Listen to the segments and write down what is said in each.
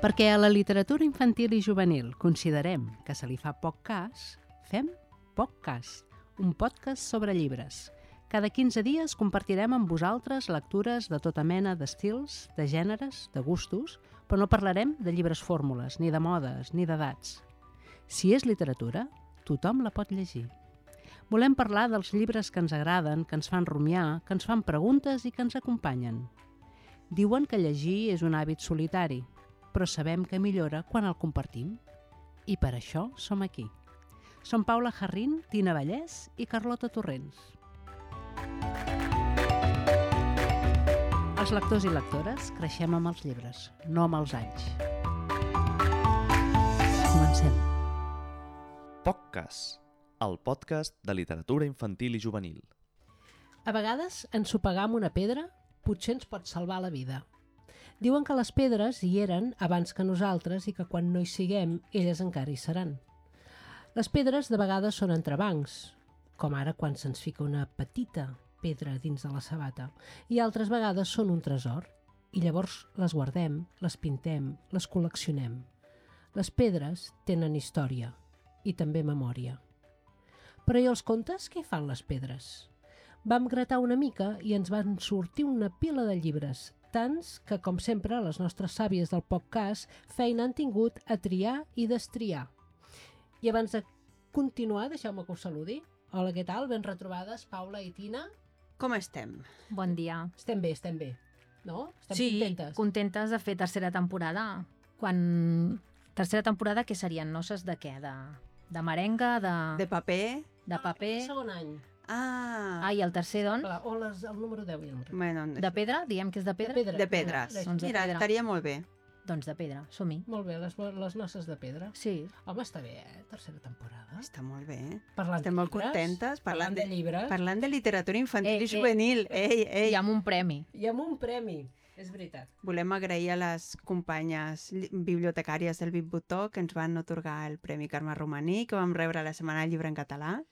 Perquè a la literatura infantil i juvenil considerem que se li fa poc cas, fem poc cas, un podcast sobre llibres. Cada 15 dies compartirem amb vosaltres lectures de tota mena d'estils, de gèneres, de gustos, però no parlarem de llibres fórmules, ni de modes, ni d'edats. Si és literatura, tothom la pot llegir. Volem parlar dels llibres que ens agraden, que ens fan rumiar, que ens fan preguntes i que ens acompanyen. Diuen que llegir és un hàbit solitari, però sabem que millora quan el compartim. I per això som aquí. Som Paula Jarrín, Tina Vallès i Carlota Torrents. Els lectors i lectores creixem amb els llibres, no amb els anys. Comencem. POCcast, el podcast de literatura infantil i juvenil. A vegades, ensopegar amb una pedra potser ens pot salvar la vida. Diuen que les pedres hi eren abans que nosaltres i que quan no hi siguem, elles encara hi seran. Les pedres de vegades són entrebancs, com ara quan se'ns fica una petita pedra dins de la sabata, i altres vegades són un tresor, i llavors les guardem, les pintem, les col·leccionem. Les pedres tenen història i també memòria. Però i els contes, què fan les pedres? Vam gratar una mica i ens van sortir una pila de llibres, tants que, com sempre, les nostres sàvies del podcast feina han tingut a triar i destriar. I abans de continuar, deixeu-me que us saludi. Hola, què tal? Ben retrobades, Paula i Tina. Com estem? Bon dia. Estem bé. No? Estem Sí, contentes? contentes de fer tercera temporada. Tercera temporada, què serien? Noces de què? De merenga, De paper? de paper? Segon any. I el tercer, doncs? Clar, o el número 10 i el número. Bueno, De pedra? Diem que és de pedra? de pedres. Doncs de Mira, pedra. estaria molt bé. Doncs de pedra, som-hi. Molt bé, les noces de pedra. Sí. Home, està bé, Tercera temporada. Està molt bé. Parlant Estem molt llibres, contentes. parlant de llibres. Parlant de literatura infantil i juvenil. Ei. I amb un premi. I amb un premi, és veritat. Volem agrair a les companyes bibliotecàries del Bitbotó que ens van atorgar el Premi Carme Romaní, que vam rebre la Setmana del Llibre en Català,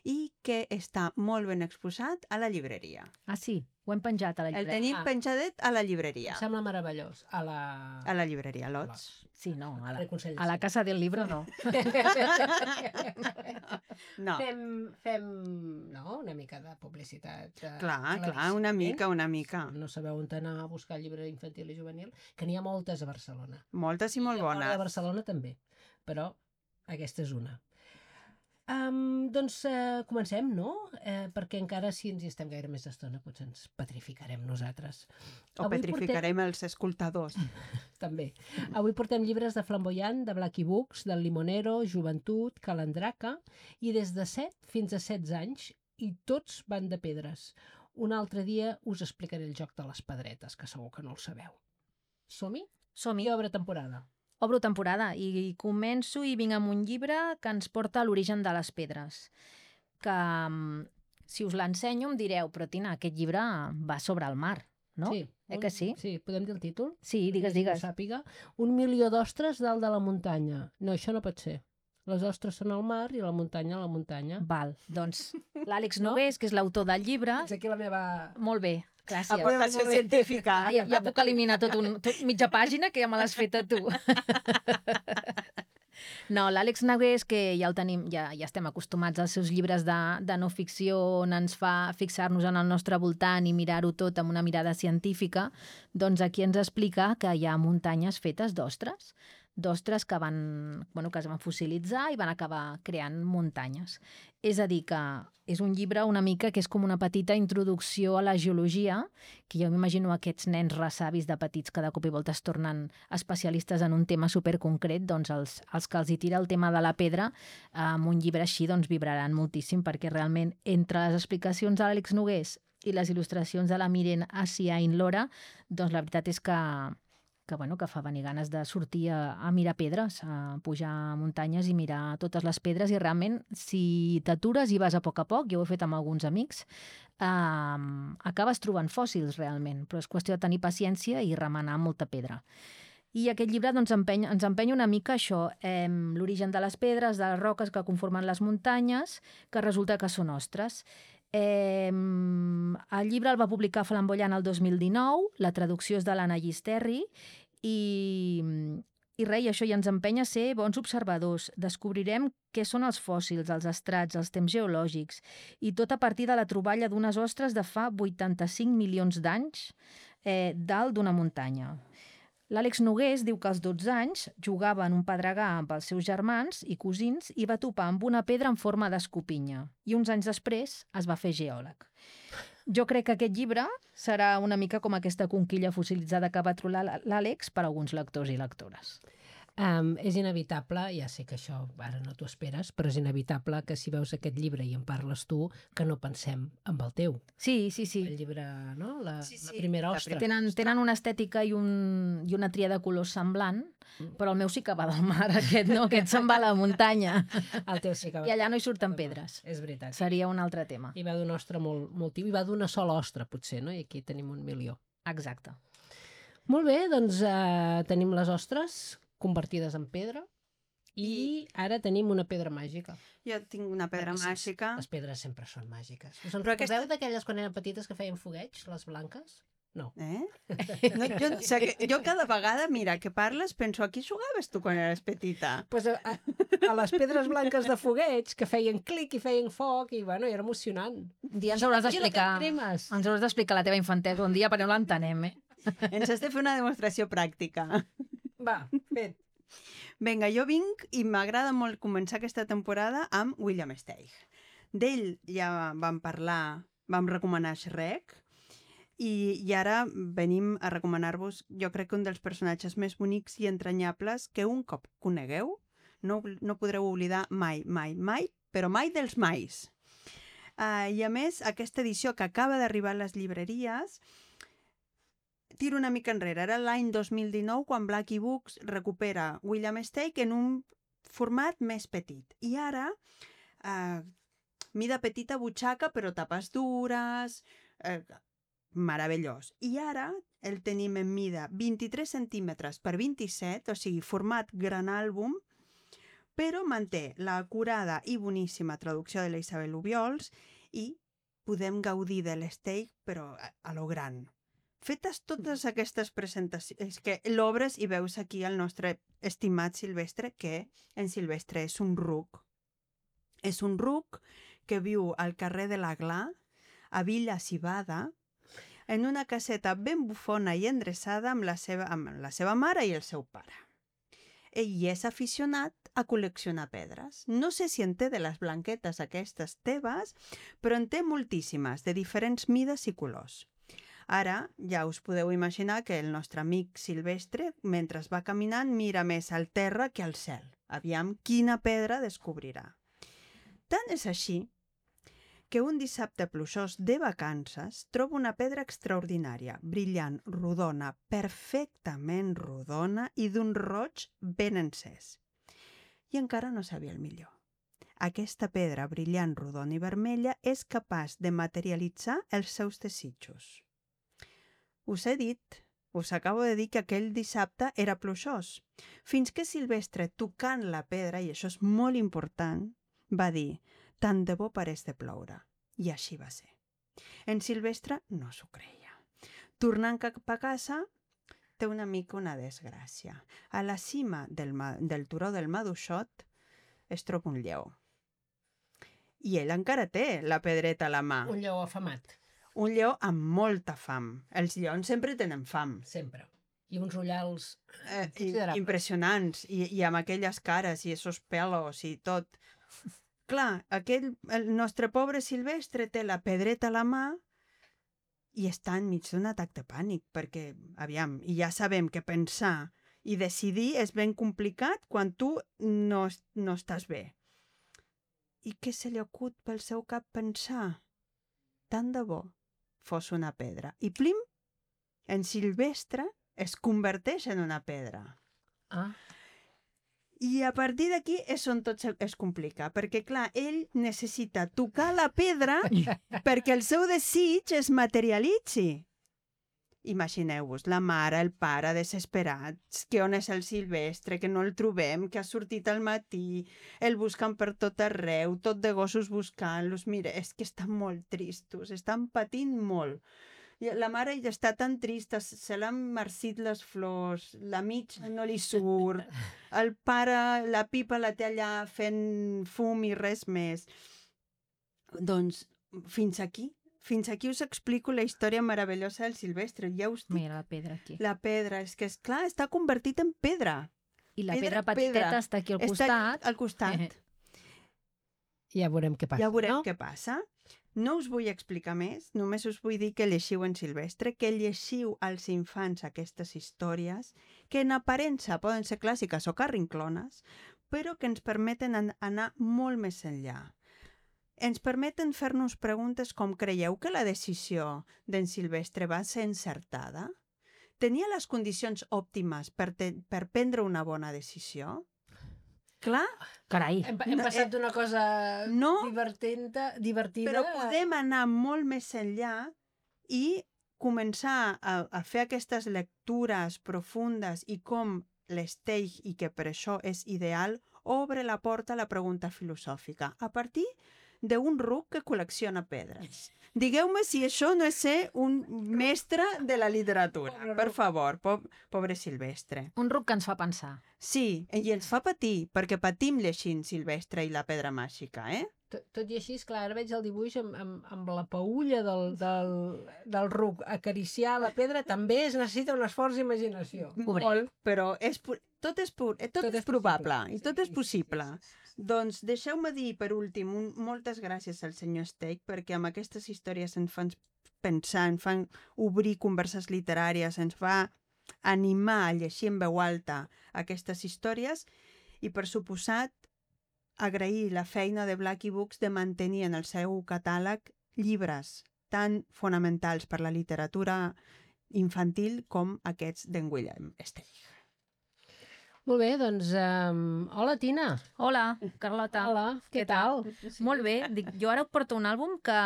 i que està molt ben exposat a la llibreria. Ah, sí? Ho hem penjat a la El llibreria. tenim penjadet a la llibreria. Em sembla meravellós. A la llibreria, a Lots. Sí, no, a Consell de la Cent. Casa del Libro no. No, Fem una mica de publicitat. clar, una mica. No sabeu on anar a buscar llibre infantil i juvenil, que n'hi ha moltes a Barcelona. Moltes i molt I a fora de bones. Barcelona també, però aquesta és una. Comencem, no? Perquè encara si ens hi estem gaire més estona potser ens petrificarem nosaltres. O petrificarem els escoltadors. També. Avui portem llibres de Flamboyant, de Blacky Books, del Limonero, Joventut, Calandraca, i des de 7 fins a 16 anys, i tots van de pedres. Un altre dia us explicaré el joc de les pedretes, que segur que no el sabeu. Som-hi? Som-hi. I obre temporada. Obro temporada i començo i vinc amb un llibre que ens porta a l'origen de les pedres. Que si us l'ensenyo em direu, però Tina, aquest llibre va sobre el mar, no? Sí. Que sí? Sí, podem dir el títol? Sí, digues. Que ho sàpiga. 1 milió d'ostres dalt de la muntanya. No, això no pot ser. Les ostres són al mar i la muntanya a la muntanya. Val, doncs l'Àlex Nogués, que és l'autor del llibre... És aquí la meva... Molt bé, gràcies. Aportació científica. Ja puc eliminar tot mitja pàgina, que ja me l'has fet a tu. No, l'Àlex Nogués, que ja el tenim, ja estem acostumats als seus llibres de no ficció, on ens fa fixar-nos en el nostre voltant i mirar-ho tot amb una mirada científica, doncs aquí ens explica que hi ha muntanyes fetes d'ostres que es van fossilitzar i van acabar creant muntanyes. És a dir, que és un llibre una mica que és com una petita introducció a la geologia, que jo m'imagino aquests nens ressavis de petits que de cop i volta es tornen especialistes en un tema superconcret, doncs els que els hi tira el tema de la pedra, amb un llibre així doncs vibraran moltíssim, perquè realment entre les explicacions de l'Àlex Nogués i les il·lustracions de la Miren Asiain Lora, doncs la veritat és que fa venir ganes de sortir a mirar pedres, a pujar a muntanyes i mirar totes les pedres, i realment, si t'atures i vas a poc, jo ho he fet amb alguns amics, acabes trobant fòssils realment, però és qüestió de tenir paciència i remenar molta pedra. I aquest llibre ens empeny una mica això, l'origen de les pedres, de les roques que conformen les muntanyes, que resulta que són ostres. El llibre el va publicar Flamboyant el 2019, la traducció és de l'Anna Llisterri, i I res, i això ja ens empenya a ser bons observadors. Descobrirem què són els fòssils, els estrats, els temps geològics, i tot a partir de la troballa d'unes ostres de fa 85 milions d'anys dalt d'una muntanya. L'Àlex Nogués diu que als 12 anys jugava en un pedregar amb els seus germans i cosins i va topar amb una pedra en forma d'escopinya. I uns anys després es va fer geòleg. Jo crec que aquest llibre serà una mica com aquesta conquilla fossilitzada que va trobar l'Àlex per a alguns lectors i lectores. És inevitable, ja sé que això ara no t'ho esperes, però és inevitable que si veus aquest llibre i en parles tu, que no pensem en el teu. Sí. El llibre, no? La primera ostra. Tenen una estètica i una tria de colors semblant, però el meu sí que va del mar, aquest no, aquest se'n va a la muntanya. El teu sí que va. I allà no hi surten pedres. És veritat. Seria un altre tema. I va d'una ostra molt tiu, i va d'una sola ostra, potser, no? I aquí tenim 1 milió. Exacte. Molt bé, doncs tenim les ostres convertides en pedra i ara tenim una pedra màgica. Jo tinc una pedra màgica. Les pedres sempre són màgiques. Us en recordeu d'aquelles quan eren petites que feien fogueig, les blanques? No. No, jo cada vegada, mira, que parles, penso, a qui jugaves tu quan eres petita? Pues a les pedres blanques de fogueig que feien clic i feien foc i, bueno, era emocionant. Un dia ens hauràs d'explicar la teva infantesa un dia perquè no l'entenem, Ens has de fer una demostració pràctica. Va, fet. Vinga, jo vinc i m'agrada molt començar aquesta temporada amb William Steig. D'ell ja vam parlar, vam recomanar Shrek, i ara venim a recomanar-vos, jo crec que un dels personatges més bonics i entranyables que un cop conegueu, no podreu oblidar mai, però mai dels mais. I a més, aquesta edició que acaba d'arribar a les llibreries, tiro una mica enrere. Era l'any 2019 quan Blackie Books recupera William Steig en un format més petit. I ara, mida petita butxaca, però tapes dures, meravellós. I ara el tenim en mida 23 centímetres per 27, o sigui, format gran àlbum, però manté l'acurada i boníssima traducció de la Isabel Obiols i podem gaudir de l'Steig, però a lo gran. Fetes totes aquestes presentacions, que l'obres i veus aquí el nostre estimat Silvestre, que en Silvestre és un ruc. És un ruc que viu al carrer de la Gla, a Villa Civada, en una caseta ben bufona i endreçada amb la seva mare i el seu pare. Ell és aficionat a col·leccionar pedres. No sé si en té de les blanquetes aquestes teves, però en té moltíssimes, de diferents mides i colors. Ara ja us podeu imaginar que el nostre amic Silvestre, mentre va caminant, mira més al terra que al cel. Aviam quina pedra descobrirà. Tant és així que un dissabte pluixós de vacances troba una pedra extraordinària, brillant, rodona, perfectament rodona i d'un roig ben encès. I encara no sabia el millor. Aquesta pedra brillant, rodona i vermella és capaç de materialitzar els seus desitjos. Us he dit, us acabo de dir que aquell dissabte era pluixós, fins que Silvestre, tocant la pedra, i això és molt important, va dir, tant de bo parés de ploure. I així va ser. En Silvestre no s'ho creia. Tornant cap a casa, té una mica una desgràcia. A la cima del turó del Maduixot es troba un lleó. I ell encara té la pedreta a la mà. Un lleó afamat. Un lleó amb molta fam. Els lleons sempre tenen fam. Sempre. I uns ullals impressionants. I amb aquelles cares i esos pelos i tot. Clar, el nostre pobre Silvestre té la pedreta a la mà i està enmig d'un atac de pànic, perquè, aviam, i ja sabem que pensar i decidir és ben complicat quan tu no estàs bé. I què se li acut pel seu cap pensar? Tant de bo fos una pedra. I plim, en Silvestre es converteix en una pedra. Ah. I a partir d'aquí és on tot es complica, perquè, clar, ell necessita tocar la pedra perquè el seu desig es materialitzi. Imagineu-vos, la mare, el pare, desesperats, que on és el Silvestre, que no el trobem, que ha sortit al matí, el busquen per tot arreu, tot de gossos buscant-los. Mira, és que estan molt tristos, estan patint molt. I la mare ja està tan trista, se l'han marcit les flors, la mitja no li surt, el pare, la pipa la té allà fent fum i res més. Doncs fins aquí us explico la història meravellosa del Silvestre. Ja us dic, Mira la pedra aquí. la pedra, és que, esclar, està convertit en pedra. I la pedra pedra. petiteta està aquí al costat. Està al costat. Ja veurem què passa, Ja veurem no? què passa. No us vull explicar més, només us vull dir que llegiu en Silvestre, que llegiu als infants aquestes històries, que en aparença poden ser clàssiques o carrinclones, però que ens permeten anar molt més enllà. Ens permeten fer-nos preguntes com: creieu que la decisió d'en Silvestre va ser encertada? Tenia les condicions òptimes per prendre una bona decisió? Clar, Carai, Hem passat d'una cosa no, divertida però podem anar molt més enllà i començar a fer aquestes lectures profundes i com l'Steig, i que per això és ideal, obre la porta a la pregunta filosòfica a partir d'un ruc que col·lecciona pedres. Digueu-me si això no és ser un mestre de la literatura. Per favor, pobre Silvestre. un ruc que ens fa pensar. Sí, i ens fa patir, perquè patim llegint Silvestre i la pedra màgica, eh? Tot i així, esclar, ara veig el dibuix amb la paulla del ruc acariciar la pedra, també es necessita un esforç d'imaginació. Molt, però tot és probable i tot és possible. Doncs deixeu-me dir, per últim, moltes gràcies al senyor Steig, perquè amb aquestes històries ens fan pensar, ens fan obrir converses literàries, ens fa animar a llegir en veu alta aquestes històries i, per suposat, agrair la feina de Blackie Books de mantenir en el seu catàleg llibres tan fonamentals per la literatura infantil com aquests d'en William Steig. Molt bé, doncs, hola, Tina. Hola, Carlota. Hola, què tal? Molt bé. Dic, jo ara porto un àlbum que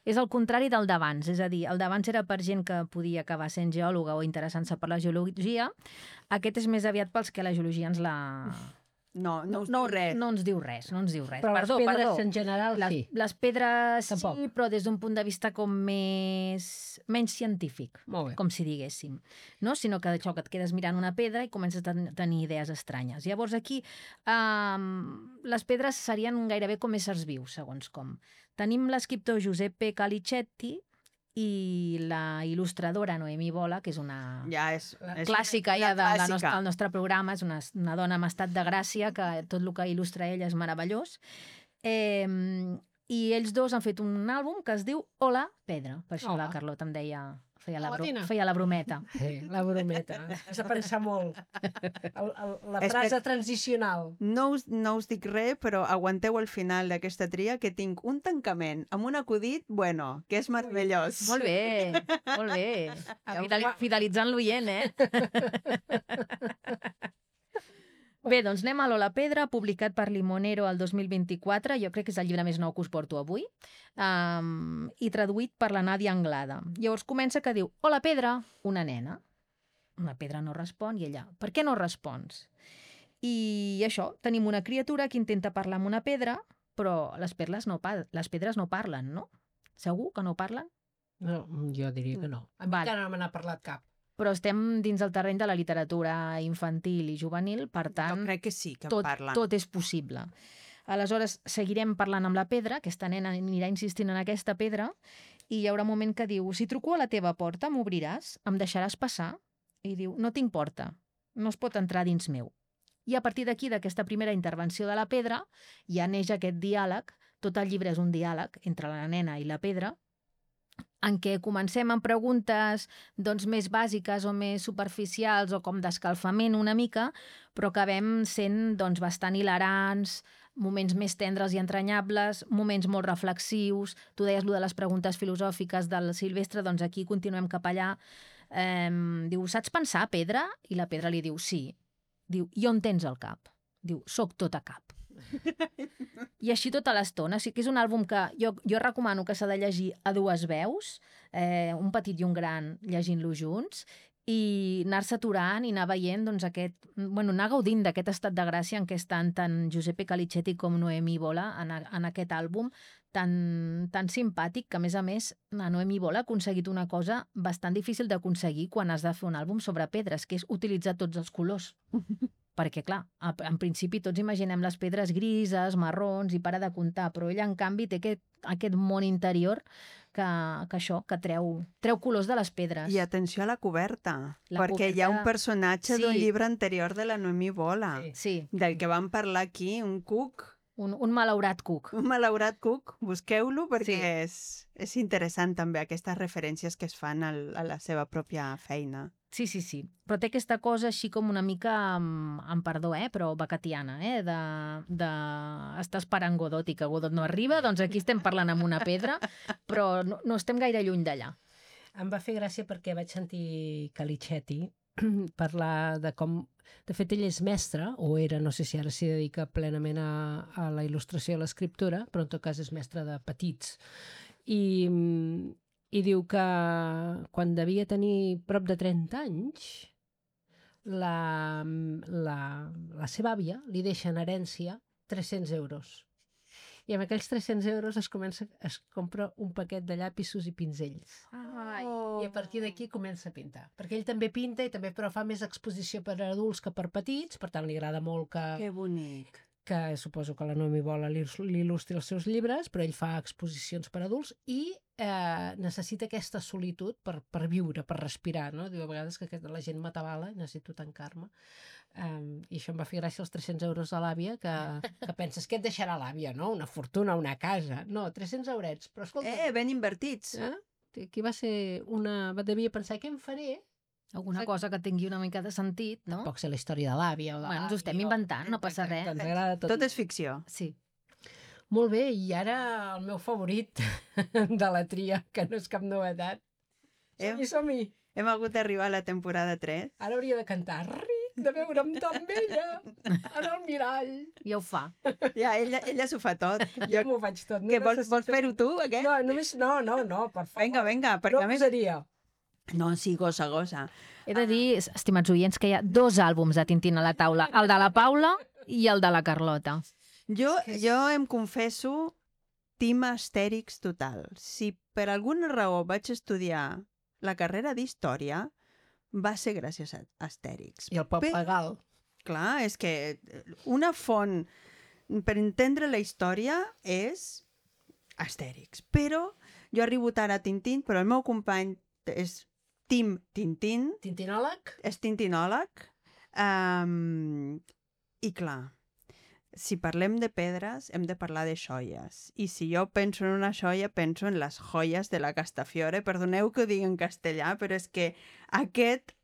és el contrari del d'abans. És a dir, el d'abans era per gent que podia acabar sent geòloga o interessant-se per la geologia. Aquest és més aviat pels que la geologia ens la... No us diu res. No ens diu res, no ens diu res. Però Perdó, les pedres perdó. en general sí. Les pedres Tampoc. sí, però des d'un punt de vista com menys científic, Molt bé. com si diguéssim. No? Sinó que això, que et quedes mirant una pedra i comences a tenir idees estranyes. Llavors aquí les pedres serien gairebé com éssers vius, segons com. Tenim l'escriptor Giuseppe Calicetti i la il·lustradora Noemí Bola, que és una... Ja és clàssica una ja del clàssica. nostre programa, és una dona amb estat de gràcia, que tot el que il·lustra ella és meravellós. I ells dos han fet un àlbum que es diu Hola, Pedra. Per això Hola. la Carlota em deia... Hola, Tina. Feia la brometa. La brometa. Has de pensar molt. La frase transicional. No us dic res, però aguanteu el final d'aquesta tria, que tinc un tancament amb un acudit, bueno, que és meravellós. Molt bé, molt bé. Fidelitzant l'oient, eh? Bé, doncs anem a Lola Pedra, publicat per Limonero el 2024. Jo crec que és el llibre més nou que us porto avui. I traduït per la Nàdia Anglada. Llavors comença que diu: Hola, Pedra, una nena. Una pedra no respon i ella: Per què no respons? I això, tenim una criatura que intenta parlar amb una pedra, però les pedres no parlen, no? Segur que no parlen? No, jo diria que no. A mi Vale. encara no me n'ha parlat cap. Però estem dins el terreny de la literatura infantil i juvenil, per tant, Jo crec que sí, que parlen. tot és possible. Aleshores, seguirem parlant amb la pedra, aquesta nena anirà insistint en aquesta pedra, i hi haurà un moment que diu: si truco a la teva porta, m'obriràs? Em deixaràs passar? I diu: no tinc porta, no es pot entrar dins meu. I a partir d'aquí, d'aquesta primera intervenció de la pedra, ja neix aquest diàleg. Tot el llibre és un diàleg entre la nena i la pedra, en què comencem amb preguntes doncs, més bàsiques o més superficials o com d'escalfament una mica, però acabem sent doncs, bastant hilarants, moments més tendres i entranyables, moments molt reflexius. Tu deies allò de les preguntes filosòfiques del Silvestre, doncs aquí continuem cap allà. Diu: saps pensar, pedra? I la pedra li diu: sí. Diu: i on tens el cap? Diu: soc tot a cap. I així tota l'estona. O sigui que és un àlbum que jo recomano que s'ha de llegir a dues veus, un petit i un gran llegint-lo junts, i anar-se aturant i anar veient doncs, anar gaudint d'aquest estat de gràcia en què estan tant Giuseppe Calicetti com Noemí Bola en aquest àlbum tan simpàtic que, a més, la Noemi Bola ha aconseguit una cosa bastant difícil d'aconseguir quan has de fer un àlbum sobre pedres, que és utilitzar tots els colors. Perquè, clar, en principi tots imaginem les pedres grises, marrons, i para de comptar, però ella, en canvi, té aquest món interior que treu colors de les pedres. I atenció a la coberta, La perquè hi ha un coberta- personatge Sí. d'un llibre anterior de la Noemi Bola, Sí, del que vam parlar aquí, un cuc, un malaurat cuc. un malaurat cuc, busqueu-lo perquè Sí. és interessant també aquestes referències que es fan a la seva pròpia feina. Sí. Però té aquesta cosa així com una mica, amb perdó, però bacatiana, està esperant Godot i que Godot no arriba, doncs aquí estem parlant amb una pedra, però no estem gaire lluny d'allà. Em va fer gràcia perquè vaig sentir Calicetti parlar de com... De fet, ell és mestre, o era, no sé si ara s'hi dedica plenament a la il·lustració i a l'escriptura, però en tot cas és mestre de petits. I diu que quan devia tenir prop de 30 anys, la seva àvia li deixa en herència 300 euros. I amb aquells 300 euros es compra un paquet de llapisos i pinzells. I a partir d'aquí comença a pintar. Perquè ell també pinta, però fa més exposició per a adults que per petits, per tant li agrada molt Que bonic. que suposo que la Noemi Bola li il·lustri els seus llibres, però ell fa exposicions per a adults i necessita aquesta solitud per viure, per respirar, no? Diu a vegades que la gent m'atabala i necessito tancar-me. I això em va fer gràcia els 300 euros de l'àvia, que penses que et deixarà l'àvia, no? Una fortuna, una casa. No, 300 eurets. Però escolta... Ben invertits. Aquí va ser devia pensar, què em faré? Alguna cosa que tingui una mica de sentit, no? Tampoc sé la història de l'àvia o de Bueno, ens ho estem inventant, no passa res. Ens agrada tot. Tot és ficció. Sí. Molt bé, i ara el meu favorit de la tria, que no és cap novetat. Som-hi. Hem hagut d'arribar a la temporada 3. Ara hauria de cantar ric de veure'm tan bella en el mirall. Ja ho fa. Ja, ella s'ho fa tot. Jo m'ho faig tot. Que vols fer-ho tu, aquest? No, només... No, per favor. Vinga, perquè a més... posaria. No, sí, gosa. He de dir, estimats oients, que hi ha 2 àlbums de Tintín a la taula, el de la Paula i el de la Carlota. Jo em confesso team Astèrix total. Si per alguna raó vaig estudiar la carrera d'Història, va ser gràcies a Astèrix. I el Poble Gal. Clar, és que una font per entendre la història és Astèrix. Però jo arribo tard a Tintín, però el meu company és Team Tintín, Tintinòleg? és tintinòleg, i clar, si parlem de pedres hem de parlar de joies, i si jo penso en una joia penso en les joies de la Castafiore. Perdoneu que ho digui en castellà, però és que aquest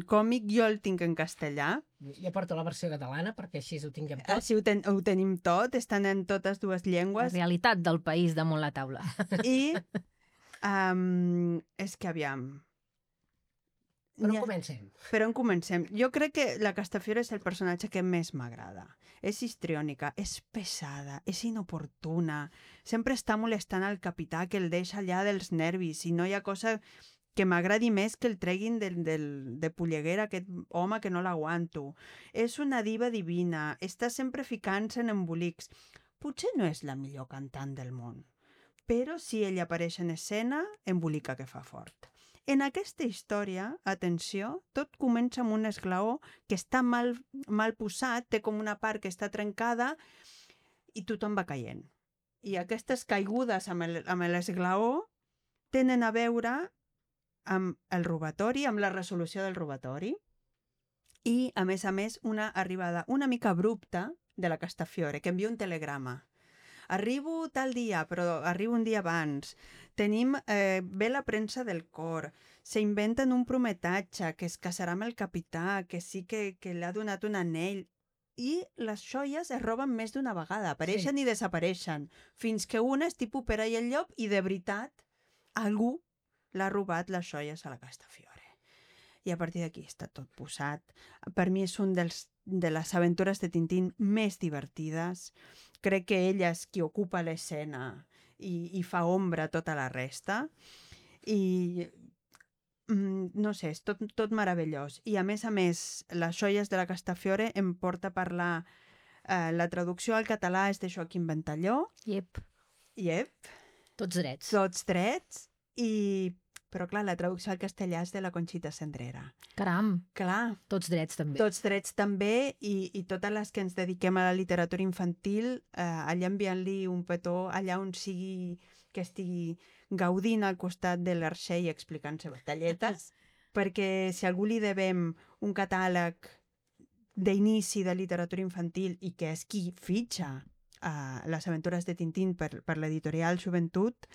còmic jo el tinc en castellà. Jo porto la versió catalana perquè així ho tinguem tot. Així ho tenim tot, estan en totes dues La llengües. realitat del país damunt la taula. I és que aviam... Però comencem. Per on comencem? Jo crec que la Castafiore és el personatge que més m'agrada. És histriònica, és pesada, és inoportuna, sempre està molestant al capità que el deixa allà dels nervis i no hi ha cosa que m'agradi més que el treguin de polleguera aquest home que no l'aguanto. És una diva divina, està sempre ficant-se en embolics. Potser no és la millor cantant del món, però si ella apareix en escena, embolica que fa fort. En aquesta història, atenció, tot comença amb un esglaó que està mal posat, té com una part que està trencada i tothom va caient. I aquestes caigudes amb l'esglaó tenen a veure amb el robatori, amb la resolució del robatori i, a més, una arribada una mica abrupta de la Castafiore, que envia un telegrama. Arribo tal dia, però arribo un dia abans. Tenim ve la premsa del cor. S'inventen un prometatge, que es casarà amb el capità, que sí que li ha donat un anell. I les joies es roben més d'una vegada. Apareixen i desapareixen. Fins que una és tipus Pere i el Llop i de veritat algú l'ha robat les joies a la Castafiore. I a partir d'aquí està tot posat. Per mi és un de les aventures de Tintín més divertides. Crec que ella és qui ocupa l'escena i fa ombra a tota la resta. I no sé, és tot meravellós. I a més, les joies de la Castafiore em porta a parlar... la traducció al català és de Joaquim Ventalló. Yep. Yep, Tots drets. tots drets, però clar, la traducció al castellà és de la Conxita Cendrera. Caram, Clar, tots drets també. tots drets també, i totes les que ens dediquem a la literatura infantil, allà enviant-li un petó, allà on sigui que estigui gaudint al costat de l'Arxell explicant-se batalletes, perquè si a algú li devem un catàleg d'inici de literatura infantil i que és qui fitxa les aventures de Tintín per l'editorial Joventut,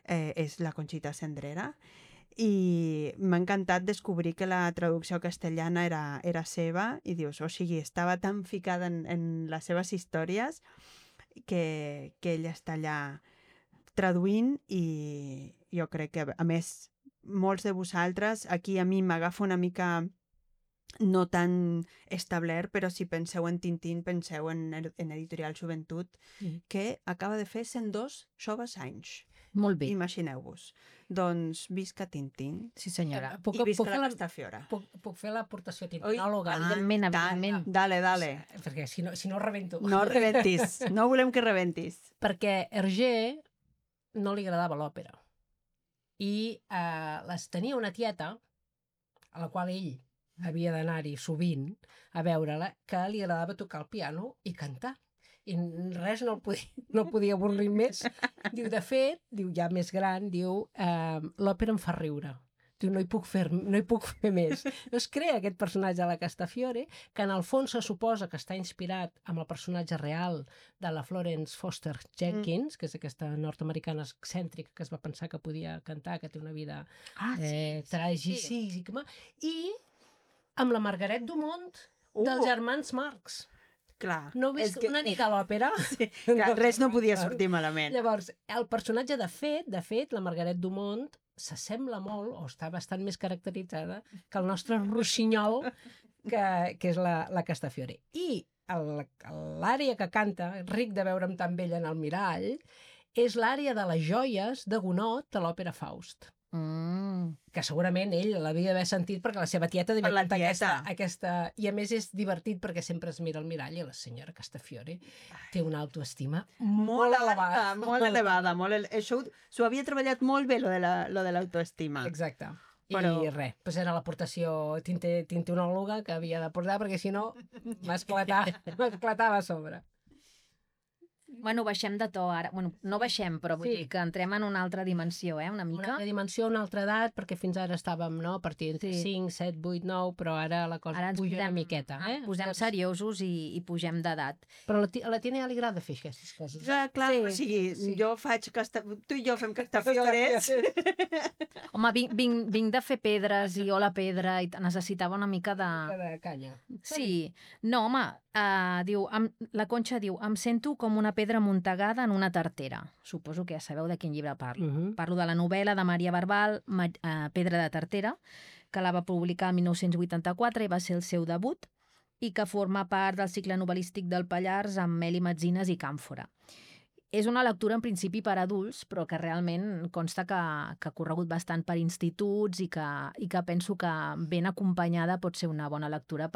és la Conxita Cendrera. I m'ha encantat descobrir que la traducció castellana era seva i dius, o sigui, estava tan ficada en les seves històries que ella està allà traduint, i jo crec que, a més, molts de vosaltres, aquí a mi m'agafa una mica no tan establert, però si penseu en Tintín, penseu en Editorial Joventut, que acaba de fer 102 joves anys. Molt bé. Imagineu-vos. Doncs visca Tintín. Sí, senyora. I visca la Castafiore. Puc fer l'aportació tintinòloga? Evidentment, evidentment. Dale. Perquè si no rebento. No rebentis. No volem que rebentis. Perquè Hergé no li agradava l'òpera. I tenia una tieta, a la qual ell havia d'anar-hi sovint a veure-la, que li agradava tocar el piano i cantar. I res no el podia avorrir més. Diu, de fet, ja més gran, l'òpera em fa riure. Diu, no hi puc fer més. Es crea aquest personatge de la Castafiore, que en el fons se suposa que està inspirat amb el personatge real de la Florence Foster Jenkins, que és aquesta nord-americana excèntrica que es va pensar que podia cantar, que té una vida tràgica, i amb la Margaret Dumont dels germans Marx. Clar. No heu vist una nit a l'òpera? Sí, clar, res no podia sortir malament. Llavors, el personatge, de fet, la Margaret Dumont, s'assembla molt, o està bastant més caracteritzada, que el nostre rossinyol, que és la Castafiore. I l'àrea que canta, ric de veure'm tan vella en el mirall, és l'àrea de les joies de Gounod de l'òpera Faust. Que segurament ell l'havia d'haver sentit perquè la seva tieta devia cantar aquesta... I a més és divertit perquè sempre es mira al mirall i la senyora Castafiore té una autoestima molt elevada. Molt elevada. Això s'ho havia treballat molt bé, lo de l'autoestima. Exacte. I res, doncs era l'aportació tintinòloga que havia de portar perquè si no m'esclatava a sobre. Bueno, baixem de to ara. Bueno, no baixem, però vull dir que entrem en una altra dimensió, una mica. Una altra dimensió, una altra edat, perquè fins ara estàvem, a partir de 5, 7, 8, 9, però ara la cosa puja una miqueta. Posem seriosos i pugem d'edat. Però a la Tina ja li agrada fer aquestes coses. Clar, o sigui, jo faig... Tu i jo fem Castafiores. Home, vinc de fer pedres i hola pedra i necessitava una mica de... De canya. Sí. No, home, la Conxa diu, em sento com una pedra muntegada en una tartera. Suposo que ja sabeu de quin llibre parlo. Parlo de la novel·la de Maria Barbal, Pedra de tartera, que la va publicar el 1984 i va ser el seu debut, i que forma part del cicle novel·lístic del Pallars amb Meli Metzines i Càmfora. És una lectura en principi per adults, però que realment consta que ha corregut bastant per instituts i que penso que ben acompanyada pot ser una bona lectura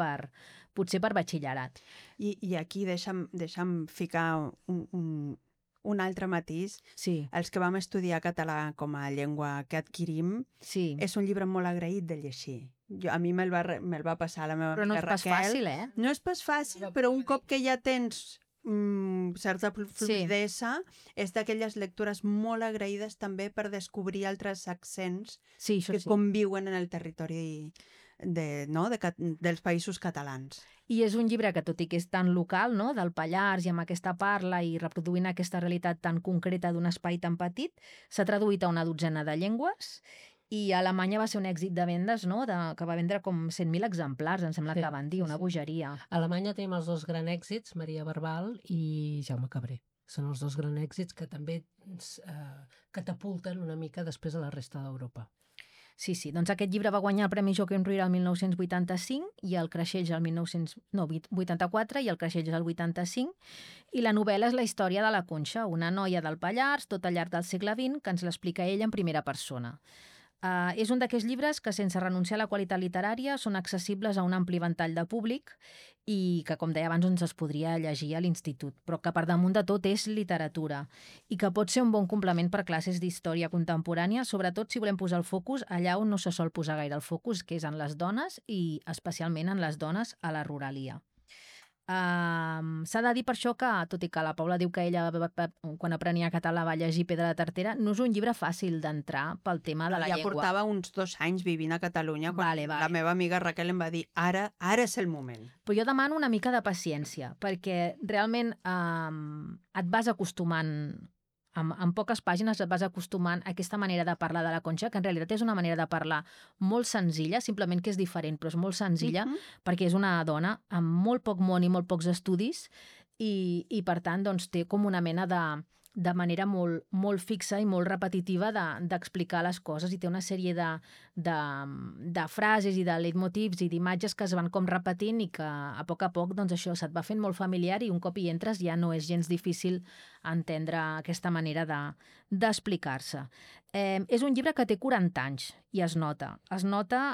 potser per batxillerat. I aquí deixa'm ficar un altre matís. Sí. Els que vam estudiar català com a llengua que adquirim, és un llibre molt agraït de llegir. A mi me'l va passar la meva amiga Raquel. Però no és pas fàcil, No és pas fàcil, però un cop que ja tens certa fluidesa, és d'aquelles lectures molt agraïdes també per descobrir altres accents que conviuen en el territori dels països catalans. I és un llibre que, tot i que és tan local, del Pallars i amb aquesta parla i reproduint aquesta realitat tan concreta d'un espai tan petit, s'ha traduït a una dotzena de llengües i a Alemanya va ser un èxit de vendes, que va vendre com 100.000 exemplars, em sembla que van dir, una bogeria. A Alemanya tenim els dos grans èxits, Maria Barbal i Jaume Cabré. Són els dos grans èxits que també catapulten una mica després a la resta d'Europa. Sí, doncs aquest llibre va guanyar el Premi Joaquim Ruyra el 1985 i el Creixells el 1984 i el Creixells el 85, i la novel·la és la història de la Conxa, una noia del Pallars, tot al llarg del segle XX, que ens l'explica ella en primera persona. És un d'aquells llibres que, sense renunciar a la qualitat literària, són accessibles a un ampli ventall de públic i que, com deia abans, es podria llegir a l'institut, però que per damunt de tot és literatura i que pot ser un bon complement per classes d'història contemporània, sobretot si volem posar el focus allà on no se sol posar gaire el focus, que és en les dones i especialment en les dones a la ruralia. S'ha de dir per això que, tot i que la Paula diu que ella, quan aprenia català, va llegir Pedra de Tartera, no és un llibre fàcil d'entrar pel tema de la llengua. Ja portava uns 2 anys vivint a Catalunya quan la meva amiga Raquel em va dir ara és el moment. Però jo demano una mica de paciència, perquè realment et vas acostumant, en poques pàgines et vas acostumant a aquesta manera de parlar de la Conxa, que en realitat és una manera de parlar molt senzilla, simplement que és diferent, però és molt senzilla, perquè és una dona amb molt poc món i molt pocs estudis i per tant, doncs, té com una mena de manera molt fixa i molt repetitiva d'explicar les coses, i té una sèrie de frases i de leitmotivs i d'imatges que es van com repetint i que a poc doncs això se't va fent molt familiar, i un cop hi entres ja no és gens difícil entendre aquesta manera d'explicar-se. És un llibre que té 40 anys i es nota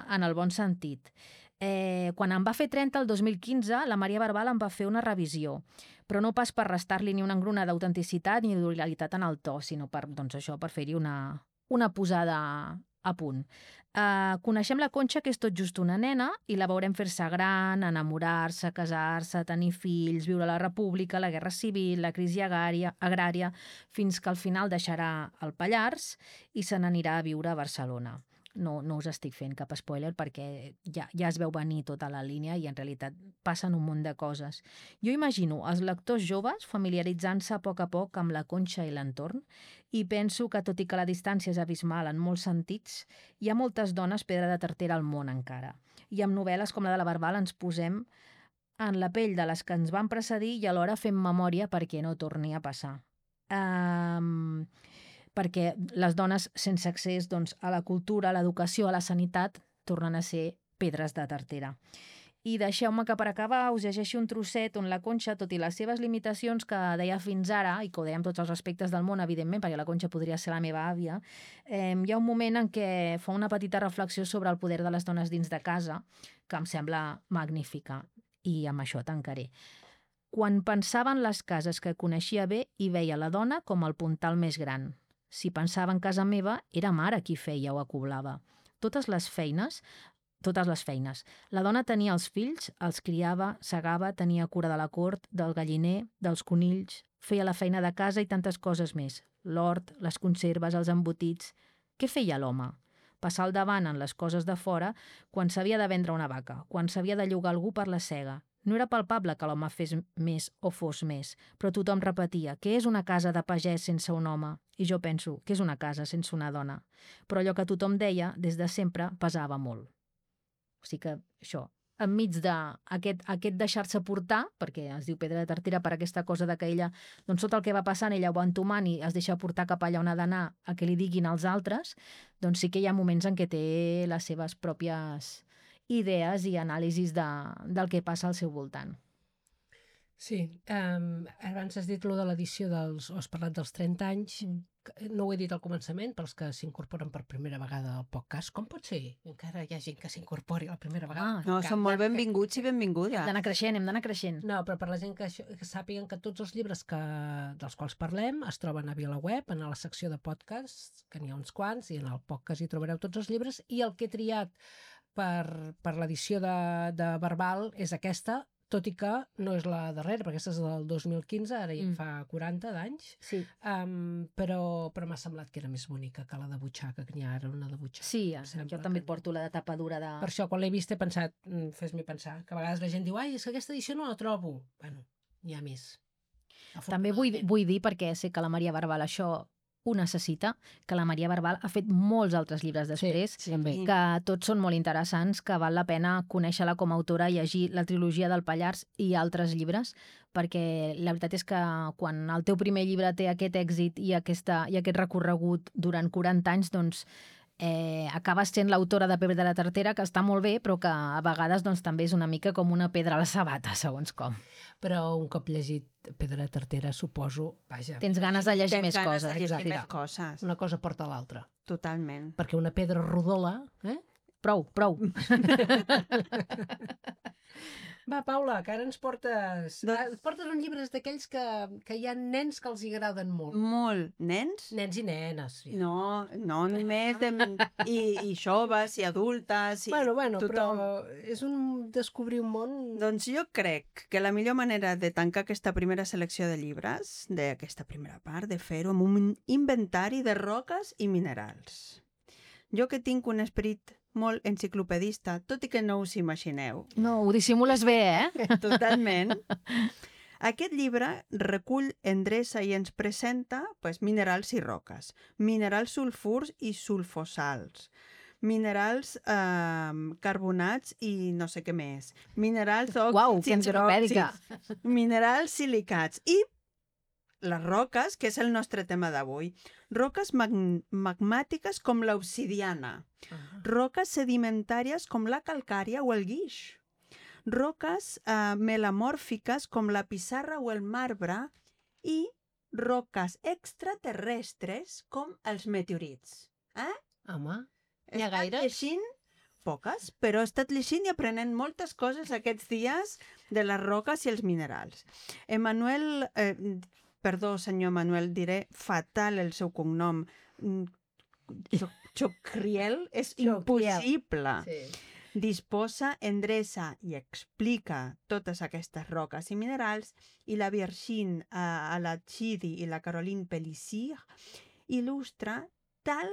en el bon sentit. Quan em va fer 30 el 2015, la Maria Barbal em va fer una revisió, però no pas per restar-li ni una engruna d'autenticitat ni d'originalitat en el to, sinó per fer-hi una posada a punt. Coneixem la Conxa, que és tot just una nena, i la veurem fer-se gran, enamorar-se, casar-se, tenir fills, viure a la República, la Guerra Civil, la crisi agrària, fins que al final deixarà el Pallars i se n'anirà a viure a Barcelona. No us estic fent cap spoiler perquè ja es veu venir tota la línia i en realitat passen un munt de coses. Jo imagino els lectors joves familiaritzant-se a poc amb la Conxa i l'entorn, i penso que, tot i que la distància és abismal en molts sentits, hi ha moltes dones Pedra de Tartera al món encara. I amb novel·les com la de la Barbal ens posem en la pell de les que ens van precedir i alhora fem memòria perquè no torni a passar. Perquè les dones sense accés a la cultura, a l'educació, a la sanitat, tornen a ser pedres de tartera. I deixeu-me que per acabar us llegeixi un trosset on la Conxa, tot i les seves limitacions que deia fins ara, i que ho deia amb tots els respectes del món, evidentment, perquè la Conxa podria ser la meva àvia, hi ha un moment en què fa una petita reflexió sobre el poder de les dones dins de casa, que em sembla magnífica, i amb això tancaré. Quan pensava en les cases que coneixia bé, hi veia la dona com el puntal més gran. Si pensava en casa meva, era mare qui feia o acoblava. Totes les feines. La dona tenia els fills, els criava, segava, tenia cura de la cort, del galliner, dels conills, feia la feina de casa i tantes coses més. L'hort, les conserves, els embotits. Què feia l'home? Passar al davant en les coses de fora quan s'havia de vendre una vaca, quan s'havia de llogar algú per la sega. No era palpable que l'home fes més o fos més, però tothom repetia: què és una casa de pagès sense un home? I jo penso: què és una casa sense una dona? Però allò que tothom deia, des de sempre, pesava molt. O sigui que això, enmig d'aquest deixar-se portar, perquè es diu Pedra de Tartera per aquesta cosa de que ella, doncs tot el que va passant, ella ho va entomant i es deixa portar cap allà on ha d'anar a que li diguin els altres, doncs sí que hi ha moments en què té les seves pròpies idees i anàlisis del que passa al seu voltant. Sí, abans has dit allò de l'edició o has parlat dels 30 anys, no ho he dit al començament, per als que s'incorporen per primera vegada al podcast. Com pot ser? Encara hi ha gent que s'incorpori la primera vegada. No, són molt benvinguts i benvingudes. Hem d'anar creixent. No, però per la gent que sàpiguen que tots els llibres dels quals parlem es troben a VilaWeb, en la secció de podcasts, que n'hi ha uns quants, i en el podcast hi trobareu tots els llibres, i el que he triat per l'edició de Barbal és aquesta, tot i que no és la darrera, perquè aquesta és del 2015, ara ja fa 40 d'anys, sí. Però m'ha semblat que era més bonica que la de butxaca, que n'hi ha ara una de butxaca. Sí, jo també et porto la de tapa dura de... Per això, quan l'he vist, he pensat, fes-me pensar, que a vegades la gent diu, ai, és que aquesta edició no la trobo. Bueno, n'hi ha més. També vull dir, perquè sé que la Maria Barbal això ho necessita, que la Maria Barbal ha fet molts altres llibres després, que tots són molt interessants, que val la pena conèixer-la com a autora, llegir la trilogia del Pallars i altres llibres, perquè la veritat és que quan el teu primer llibre té aquest èxit i aquest recorregut durant 40 anys, doncs acabes sent l'autora de Pedra de Tartera, que està molt bé, però que a vegades també és una mica com una pedra a la sabata, segons com. Però un cop llegit Pedra de Tartera, suposo, vaja... Tens ganes de llegir més coses. Més coses. Una cosa porta a l'altra. Totalment. Perquè una pedra rodola... Prou. Va, Paula, que ara ens portes... Ens portes uns llibres d'aquells que hi ha nens que els agraden molt. Molt. Nens? Nens i nenes. Sí. No només i joves i adultes i Bueno, tothom. però és descobrir un món... Doncs jo crec que la millor manera de tancar aquesta primera selecció de llibres, d'aquesta primera part, de fer-ho amb un inventari de roques i minerals. Jo que tinc un esperit molt enciclopedista, tot i que no us imagineu. No, ho dissimules bé, Totalment. Aquest llibre recull, endreça i ens presenta minerals i roques, minerals sulfurs i sulfosals, minerals carbonats i no sé què més, minerals Uau, que enciclopèdica. minerals silicats i les roques, que és el nostre tema d'avui. Roques magmàtiques com l'obsidiana, roques sedimentàries com la calcària o el guix, roques melamòrfiques com la pissarra o el marbre i roques extraterrestres com els meteorits. Home, He N'hi ha estat gaires? llegint poques, però he estat llegint i aprenent moltes coses aquests dies de les roques i els minerals. Perdó, senyor Manuel, diré fatal el seu cognom. Chocriel és impossible. sí. Disposa, endreça i explica totes aquestes roques i minerals i la Virgin Alachidi i la Caroline Pellicier il·lustra tal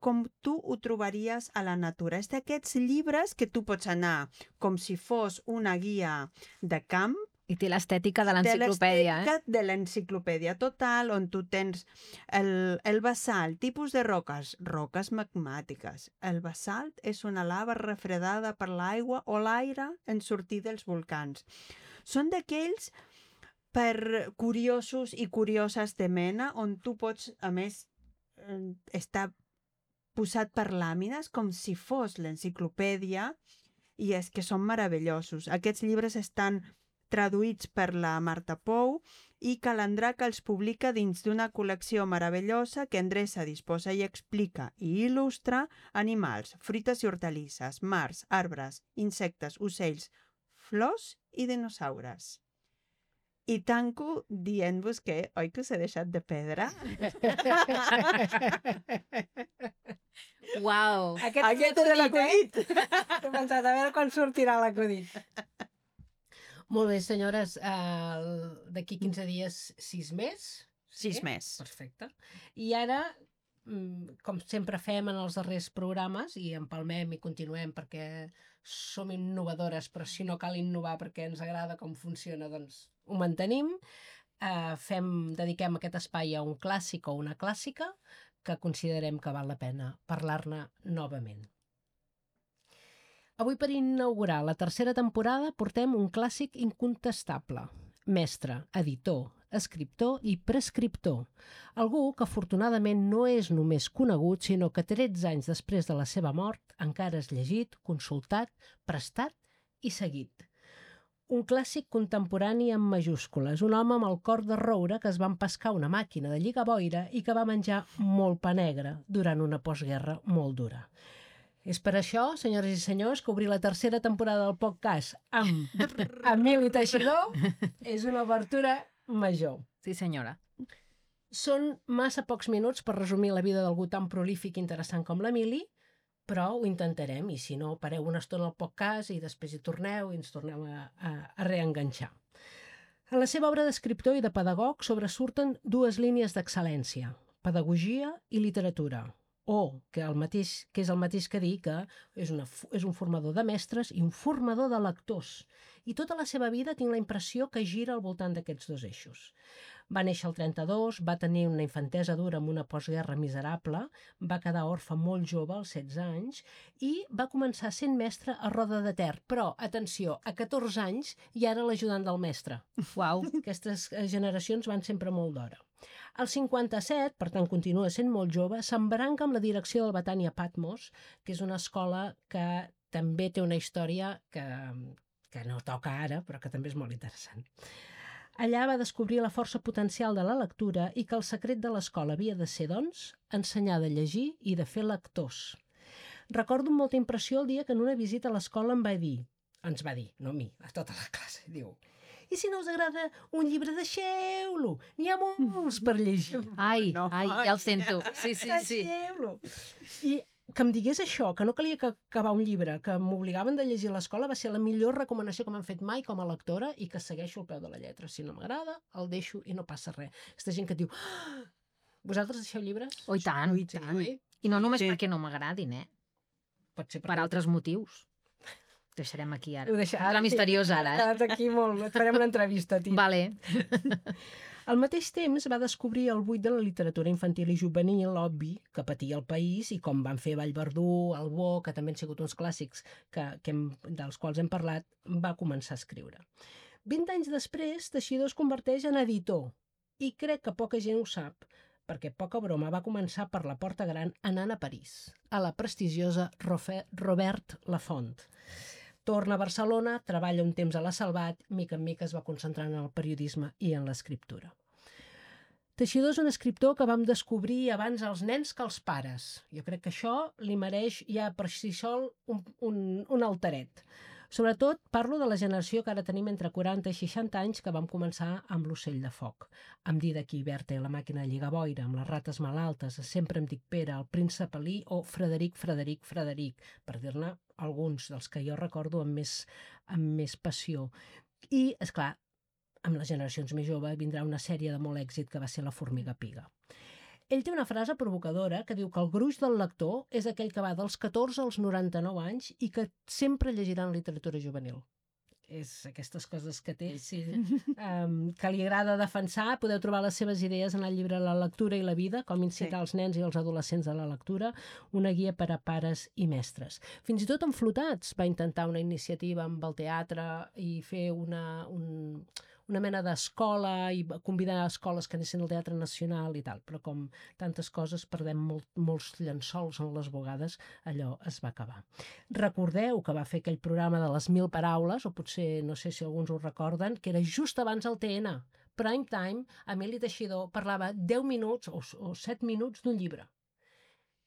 com tu ho trobaries a la natura. És d'aquests llibres que tu pots anar com si fos una guia de camp. I té l'estètica de l'enciclopèdia, De l'enciclopèdia total, on tu tens el basalt, tipus de roques magmàtiques. El basalt és una lava refredada per l'aigua o l'aire en sortir dels volcans. Són d'aquells per curiosos i curioses de mena, on tu pots, a més, estar posat per làmines com si fos l'enciclopèdia, i és que són meravellosos. Aquests llibres estan traduïts per la Marta Pou i Calandraca els publica dins d'una col·lecció meravellosa que endreça, disposa i explica i il·lustra animals, fruites i hortalisses, mars, arbres, insectes, ocells, flors i dinosaures. I tanco dient-vos que, oi que us he deixat de pedra? Uau! Aquest era l'acudit! He pensat, a veure quan sortirà l'acudit. Molt bé, senyores, d'aquí 15 dies 6 més. 6 més. Perfecte. I ara, com sempre fem en els darrers programes, i empalmem i continuem perquè som innovadores, però si no cal innovar perquè ens agrada com funciona, doncs ho mantenim. Dediquem aquest espai a un clàssic o una clàssica que considerem que val la pena parlar-ne novament. Avui, per inaugurar la tercera temporada, portem un clàssic incontestable. Mestre, editor, escriptor i prescriptor. Algú que afortunadament no és només conegut, sinó que 13 anys després de la seva mort encara és llegit, consultat, prestat i seguit. Un clàssic contemporani amb majúscules, un home amb el cor de roure que es va empescar una màquina de lligaboira i que va menjar molt pa negre durant una postguerra molt dura. És per això, senyores i senyors, que obrir la tercera temporada del podcast amb Emili Teixidor és una obertura major. Sí, senyora. Són massa pocs minuts per resumir la vida d'algú tan prolífic i interessant com l'Emili, però ho intentarem, i si no, pareu una estona al podcast i després hi torneu i ens tornem a reenganxar. En la seva obra d'escriptor i de pedagog sobresurten dues línies d'excel·lència, pedagogia i literatura, que és el mateix que dir que és un formador de mestres i un formador de lectors. I tota la seva vida tinc la impressió que gira al voltant d'aquests dos eixos. Va néixer al 32, va tenir una infantesa dura amb una postguerra miserable, va quedar orfe molt jove, als 16 anys, i va començar sent mestre a Roda de Ter. Però, atenció, a 14 anys i ara l'ajudant del mestre. Uau! Aquestes generacions van sempre molt d'hora. Al 57, per tant continua sent molt jove, s'embranca amb la direcció del Betània Patmos, que és una escola que també té una història que no toca ara, però que també és molt interessant. Allà va descobrir la força potencial de la lectura i que el secret de l'escola havia de ser, doncs, ensenyar de llegir i de fer lectors. Recordo amb molta impressió el dia que en una visita a l'escola ens va dir, no a mi, a tota la classe, diu: i si no us agrada un llibre, deixeu-lo, n'hi ha molts per llegir. Ai, No, ja el sento. Sí. Deixeu-lo. I que em digués això, que no calia acabar un llibre, que m'obligaven de llegir a l'escola, va ser la millor recomanació que m'han fet mai com a lectora i que segueixo al peu de la lletra. Si no m'agrada, el deixo i no passa res. Aquesta gent que et diu: vosaltres deixeu llibres? Oh, i tant. Ui, tant. Oi? I no només Sí. perquè no m'agradin, Pot ser per altres motius. Ho deixarem aquí ara. Ho deixa- La misteriosa ara, Queda't aquí molt, et farem una entrevista, tio. Vale. Al mateix temps va descobrir el buit de la literatura infantil i juvenil, obvi, que patia el país, i com van fer Vallverdú, El Bo, que també han sigut uns clàssics dels quals hem parlat, va començar a escriure. 20 anys després, Teixidor es converteix en editor, i crec que poca gent ho sap, perquè poca broma va començar per la porta gran anant a París, a la prestigiosa Robert Laffont. Torna a Barcelona, treballa un temps a la Salvat, mica en mica es va concentrant en el periodisme i en l'escriptura. Teixidor és un escriptor que vam descobrir abans els nens que els pares. Jo crec que això li mereix ja per si sol un alteret. Sobretot parlo de la generació que ara tenim entre 40 i 60 anys, que vam començar amb l'Ocell de foc, amb Didac i Berta i la màquina de lligar boira, amb les rates malaltes, Sempre em dic Pere, el príncep Elí o Frederic, per dir-ne alguns dels que jo recordo amb més passió. I, és clar, amb les generacions més joves vindrà una sèrie de molt èxit que va ser La formiga piga. Ell té una frase provocadora que diu que el gruix del lector és aquell que va dels 14 als 99 anys i que sempre llegirà en literatura juvenil. És aquestes coses que té, sí, que li agrada defensar. Podeu trobar les seves idees en el llibre La lectura i la vida, com incitar els nens i els adolescents a la lectura, una guia per a pares i mestres. Fins i tot en Flotats va intentar una iniciativa amb el teatre i fer una mena d'escola i convidar a escoles que anessin al Teatre Nacional i tal, però com tantes coses perdem molts llençols en les bugades, allò es va acabar. Recordeu que va fer aquell programa de les 1000 paraules, o potser no sé si alguns ho recorden, que era just abans del TN. Prime time, Emili Teixidor parlava 10 minuts o 7 minuts d'un llibre.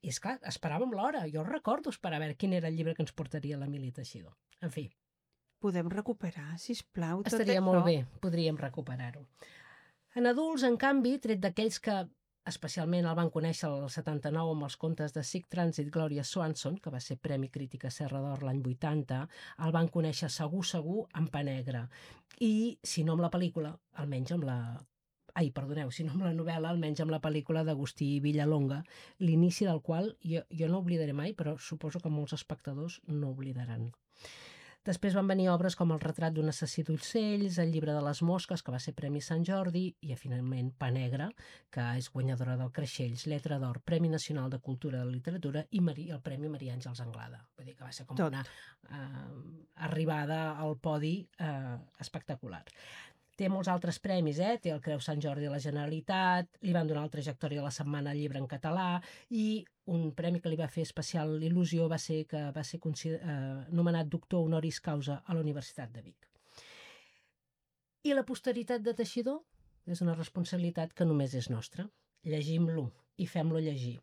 I és clar, esperàvem l'hora. Jo recordo esperar a veure quin era el llibre que ens portaria l'Emili Teixidor. En fi, Podem recuperar, sisplau, tot estaria això? molt bé, podríem recuperar-ho. En adults, en canvi, tret d'aquells que especialment el van conèixer al 79 amb els contes de Sic Transit Gloria Swanson, que va ser Premi Crítica Serra d'Or l'any 80, el van conèixer segur amb Pa Negre. I, si no amb la pel·lícula, almenys amb la... si no amb la novel·la, almenys amb la pel·lícula d'Agustí Villalonga, l'inici del qual jo no oblidaré mai, però suposo que molts espectadors no oblidaran. Després van venir obres com El retrat d'un assassí d'ocells, El llibre de les mosques, que va ser Premi Sant Jordi, i finalment Pa Negre, que és guanyadora del Creixells, Lletra d'Or, Premi Nacional de Cultura i de Literatura i el Premi Maria Àngels Anglada. Vull dir que va ser com una arribada al podi espectacular. Té molts altres premis, té el Creu Sant Jordi de la Generalitat, li van donar el Trajectòria de la Setmana al Llibre en català i un premi que li va fer especial il·lusió va ser que va ser nomenat doctor honoris causa a la Universitat de Vic. I la posteritat de Teixidor és una responsabilitat que només és nostra. Llegim-lo i fem-lo llegir.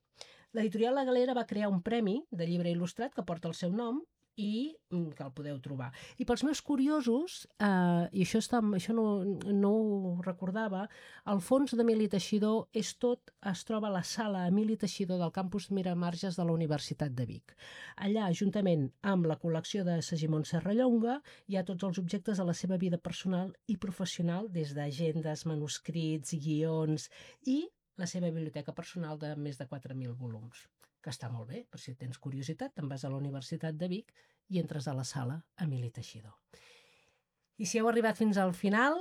L'editorial La Galera va crear un premi de llibre il·lustrat que porta el seu nom i que el podeu trobar. I pels meus curiosos, i això no ho recordava, el fons d'Emili Teixidor es troba a la sala Emili Teixidor del campus Miramarges de la Universitat de Vic. Allà, juntament amb la col·lecció de Segimon Serrallonga, hi ha tots els objectes de la seva vida personal i professional, des d'agendes, manuscrits, guions i la seva biblioteca personal de més de 4.000 volums, que està molt bé, per si tens curiositat, te'n vas a la Universitat de Vic i entres a la sala Emili Teixidor. I si heu arribat fins al final,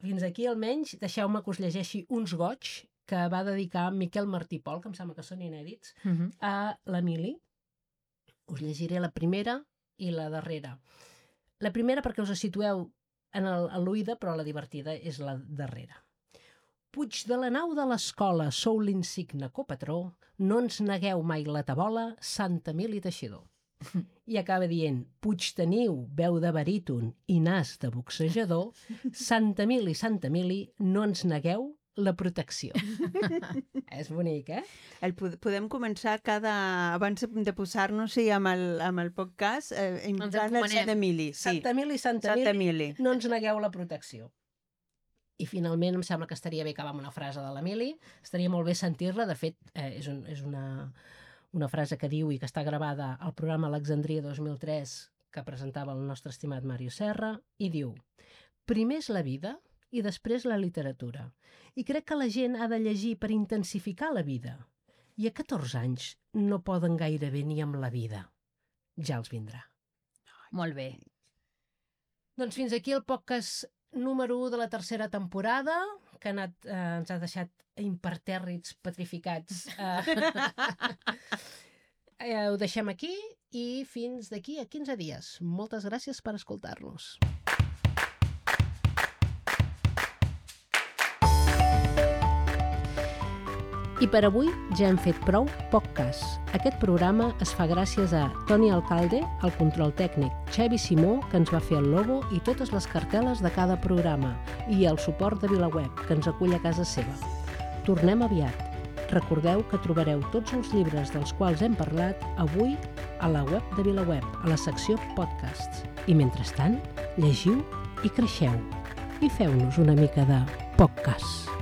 fins aquí almenys, deixeu-me que us llegeixi uns goig que va dedicar Miquel Martí Pol, que em sembla que són inèdits, a l'Emili. Us llegiré la primera i la darrera. La primera perquè us situeu en l'oïda, però la divertida és la darrera. Puig de la nau de l'escola, sou l'insigne copatró, no ens negueu mai la tabola, Sant Emili Teixidor. I acaba dient, Puigteniu, veu de baríton i nas de boxejador, Santa Mili, no ens negueu la protecció. És bonic, eh? Podem començar abans de posar-nos-hi amb el podcast, entrant el Sant Emili. Sí. Santa Mili, no ens negueu la protecció. I finalment em sembla que estaria bé acabar amb una frase de l'Emili, estaria molt bé sentir-la, de fet és una frase que diu i que està gravada al programa Alexandria 2003 que presentava el nostre estimat Mario Serra, i diu: primer és la vida i després la literatura. I crec que la gent ha de llegir per intensificar la vida. I a 14 anys no poden gairebé ni amb la vida. Ja els vindrà. Molt bé. Doncs fins aquí el podcast número 1 de la tercera temporada, que ens ha deixat impertèrrits, petrificats. Ho deixem aquí i fins d'aquí a 15 dies. Moltes gràcies per escoltar-nos. I per avui ja hem fet prou podcast. Aquest programa es fa gràcies a Toni Alcalde, el control tècnic, Xavi Simó, que ens va fer el logo i totes les cartel·les de cada programa, i el suport de VilaWeb, que ens acull a casa seva. Tornem aviat. Recordeu que trobareu tots els llibres dels quals hem parlat avui a la web de VilaWeb, a la secció podcasts. I mentrestant, llegiu i creixeu. I feu-nos una mica de podcast.